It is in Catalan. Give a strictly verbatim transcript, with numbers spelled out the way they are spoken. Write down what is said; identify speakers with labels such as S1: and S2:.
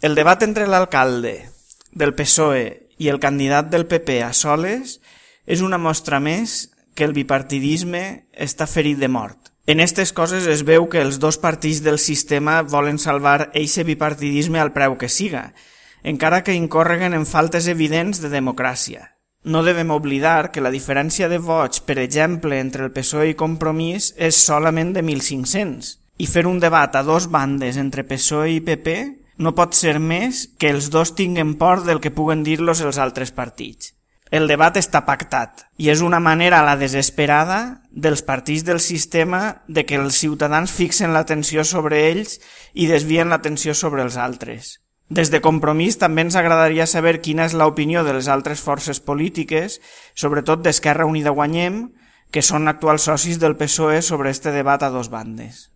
S1: El debat entre l'alcalde del P S O E i el candidat del P P a soles és una mostra més que el bipartidisme està ferit de mort. En aquestes coses es veu que els dos partits del sistema volen salvar eixe bipartidisme al preu que siga, encara que incorreguen en faltes evidents de democràcia. No devem oblidar que la diferència de vots, per exemple, entre el P S O E i Compromís és solament de mil cinc-cents, i fer un debat a dos bandes entre P S O E i P P no pot ser més que els dos tinguen por del que puguen dir-los els altres partits. El debat està pactat i és una manera a la desesperada dels partits del sistema de que els ciutadans fixen l'atenció sobre ells i desvien l'atenció sobre els altres. Des de Compromís també ens agradaria saber quina és l'opinió de les altres forces polítiques, sobretot d'Esquerra Unida Guanyem, que són actuals socis del P S O E sobre este debat a dos bandes.